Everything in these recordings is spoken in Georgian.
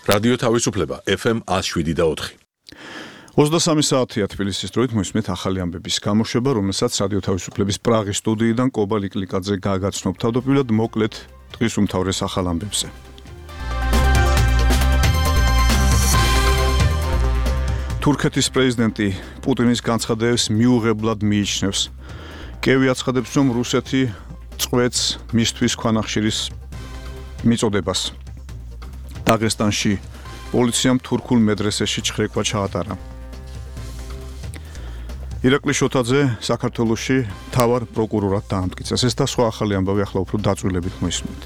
რადიო თავისუფლება FM 107.4. 23 საათია თბილისის დროით მოისმენთ ახალი ამბების გამოშვება, რომელსაც რადიო თავისუფლების პრაღის სტუდიიდან კობა ლიკლიკაძე გააგაცნობ. თავდაპირველად მოკლედ დღის უმთავრეს ახალ ამბებზე. თურქეთის პრეზიდენტი პუტინის განცხადებებს მიუღებლად მიიჩნევს. კიევი აცხადებს, რომ რუსეთი წყვეტს მისთვის ქვანახშირის მიწოდებას. დაღესტანში პოლიციამ თურქულ მედრესეში ჩხრეკვა ჩაატარა. ირაკლი შოთაძე საქართველოში მთავარ პროკურორად დაამტკიცეს. ეს და სხვა ახალი ამბავი ახლა უფრო დაწვრილებით მოისმენთ.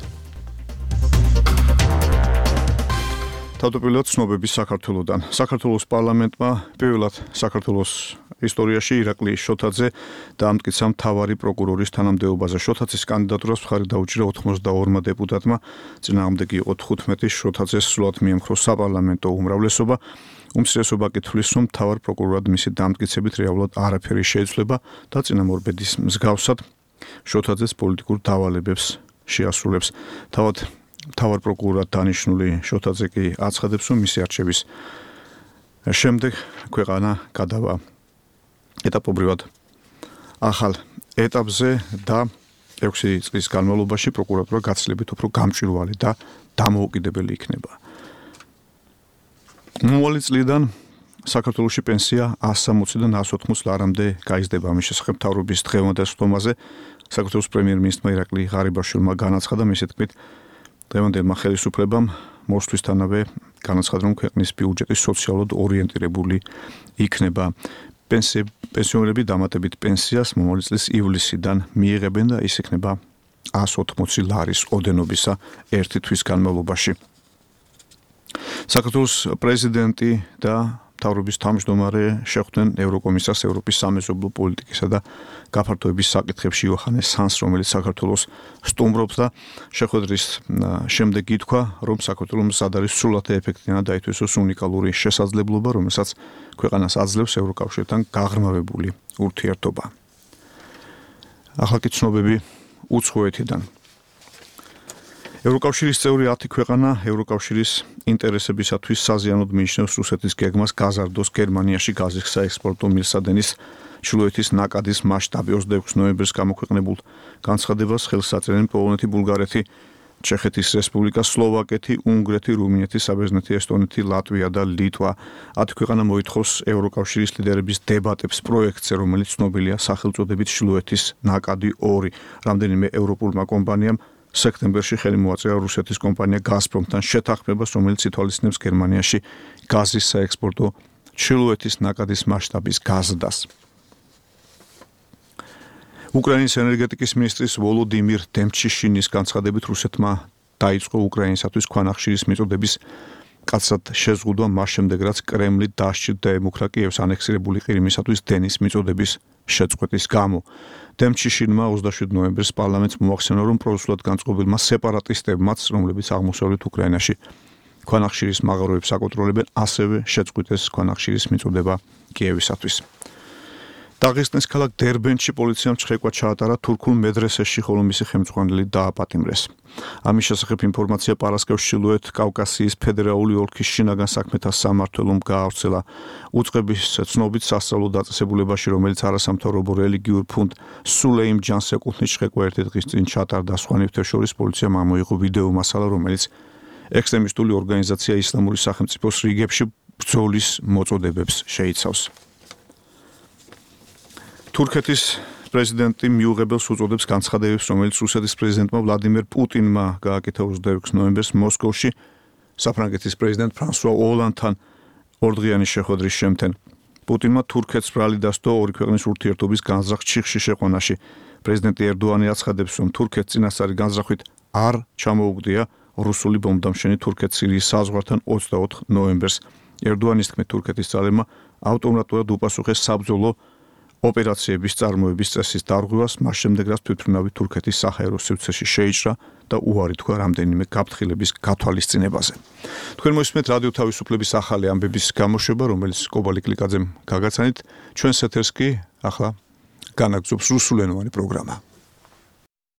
თავდაპირველად ცნობები საქართველოდან. საქართველოს პარლამენტმა პირველად საქართველოს ისტორიაში ირაკლი შოთაძე დაამტკიცა მთავარი პროკურორის თანამდებობაზე. შოთაძის კანდიდატურას მხარი დაუჭირა 82 დეპუტატმა, წინააღმდეგი იყო 15. შოთაძეს სრულად მიემხრო საპარლამენტო უმრავლესობა. უმცირესობა კი თვლის, რომ მთავარ პროკურორად მისი დამტკიცებით რეალურად არაფერი შეიცვლება და წინამორბედის მსგავსად შოთაძეს პოლიტიკურ დავალებებს შეასრულებს. მთავარ პროკურორად დანიშნული შოთაძე კი აცხადებს, რომ მისი არჩევის შემდეგ ქვეყანა გადავა ეტაპობრივად ახალ ეტაპზე და 6 წლის განმავლობაში პროკურატურა გაცილებით უფრო გამჭვირვალე და დამოუკიდებელი იქნება. მომავალი წლიდან საქართველოში პენსია 160-დან 180 ლარამდე გაიზრდება. ამის შესახებ მთავრობის დღევანდელ სხდომაზე საქართველოს პრემიერ-მინისტრმა ირაკლი ღარიბაშვილმა განაცხადა. მისი თქმით, დღევანდელმა ხელისუფლებამ მოსვლისთანავე განაცხადა, რომ ქვეყნის ბიუჯეტი სოციალურად ორიენტირებული იქნება. პენსიონერები დამატებით პენსიას მომავალი წლის ივლისიდან მიიღებენ და ის იქნება 180 ლარის ოდენობისა ერთი თვის განმავლობაში. საქართველოს პრეზიდენტი და მთავრობის თავმჯდომარე შეხვდნენ ევროკომისარს ევროპის სამეზობლო პოლიტიკისა და გაფართოების საკითხებში იოჰანეს ჰანს, რომელიც საქართველოს სტუმრობს და შეხვედრის შემდეგ ითქვა, რომ საქართველოს მზად არის სრულად ეფექტიანად დაითვისოს უნიკალური შესაძლებლობა, რომელსაც ქვეყანას აძლევს ევროკავშირთან გაღრმავებული ურთიერთობა. ახლა კი ცნობები უცხოეთიდან. ევროკავშირის წევრი 10 ქვეყანა ევროკავშირის ინტერესებისათვის საზიანოდ მიიჩნევს რუსეთის გეგმას გაზარდოს გერმანიაში გაზის საექსპორტო მილსადენის ჩრდილოეთის ნაკადის მასშტაბი. 26 ნოემბერს გამოქვეყნებულ განცხადებას ხელს აწერენ პოლონეთი, ბულგარეთი, ჩეხეთის რესპუბლიკა, სლოვაკეთი, უნგრეთი, რუმინეთი, საბერძნეთი, ესტონეთი, ლატვია და ლიტვა. 10 ქვეყანა მოითხოვს ევროკავშირის ლიდერების დებატებს პროექტზე, რომელიც ცნობილია სახელწოდებით ჩრდილოეთის ნაკადი 2. რამდენიმე ევროპულმა კომპანიამ სექტემბერში ხელი მოაწერა რუსეთის კომპანია გაზპრომთან შეთანხმებას, რომელიც ითვალისწინებს გერმანიაში გაზის საექსპორტო ჩრდილოეთის ნაკადის მასშტაბის გაზრდას. უკრაინის ენერგეტიკის მინისტრის ვოლოდიმირ დემჩიშინის განცხადებით რუსეთმა დაიწყო უკრაინისათვის ქვანახშირის მიწოდების კაცად შეზღუდვა მას შემდეგ, რაც კრემლი დასჭირდა ემუქრა კიევს ანექსირებული ყირიმისათვის დენის მიწოდების შეწყვეტის გამო. დემჩიშინმა 27 ნოემბერს პარლამენტს მოახსენა, რომ პრორუსულად განწყობილმა სეპარატისტებმაც, რომლებიც აღმოსავლეთ უკრაინაში ქვანახშირის მაღაროებს აკონტროლებენ, ასევე შეწყვიტეს ქვანახშირის მიწოდება კიევისათვის. დაღესტნის ქალაქ დერბენტში პოლიციამ ჩხრეკვა ჩაატარა თურქულ მედრესეში, ხოლო მისი ხელმძღვანელი დააპატიმრეს. ამის შესახებ ინფორმაცია პარასკევს ჩრდილოეთ კავკასიის ფედერალური ოლქის შინაგან საქმეთა სამმართველომ გაავრცელა. უწყების ცნობით სასწავლო დაწესებულებაში, რომელიც არასამთავრობო რელიგიურ ფონდ სულეიმ ჯანს ეკუთვნის, ჩხრეკვა ერთი დღის წინ ჩაატარდა. სხვა ნივთებს შორის პოლიციამ ამოიღო ვიდეო მასალა, რომელიც ექსტრემისტული ორგანიზაცია ისლამური სახელმწიფოს რიგებში ბრძოლის მოწოდებებს შეიცავს. თურქეთის პრეზიდენტი მიუღებელს უწოდებს განცხადებებს, რომელიც რუსეთის პრეზიდენტმა ვლადიმერ პუტინმა გააკეთა 26 ნოემბერს მოსკოვში საფრანგეთის პრეზიდენტ ფრანსუა ოლანდთან ორდღიანი შეხვედრის შემთხვევით. პუტინმა თურქეთს ბრალი დასდო ორი ქვეყნის ურთიერთობის განზრახ ჩიხში შეყვანაში. პრეზიდენტი ერდოანი აცხადებს, რომ თურქეთს წინასწარი განზრახვით არ ჩამოუგდია რუსული ბომბდამშვენი თურქეთ-სირიის საზღვართან 24 ნოემბერს. ერდოანის თქმით, თურქეთის ძალებმა ავტომატურად უპასუხეს საბრძოლო ოპერაციების წარმოების წესის დარღვევას, მას შემდეგ რაც თვითმფრინავი თურქეთის საჰაერო სივრცეში შეიჭრა და უარი თქვა რამდენიმე გაფრთხილების გათვალისწინებაზე. თქვენ მოისმენთ რადიო თავისუფლების ახალი ამბების გამოშვება, რომელიც კობა ლიკლიკაძემ გაგაცანით. ჩვენს ეთერს კი ახლა განაგრძობს რუსულენოვანი პროგრამა.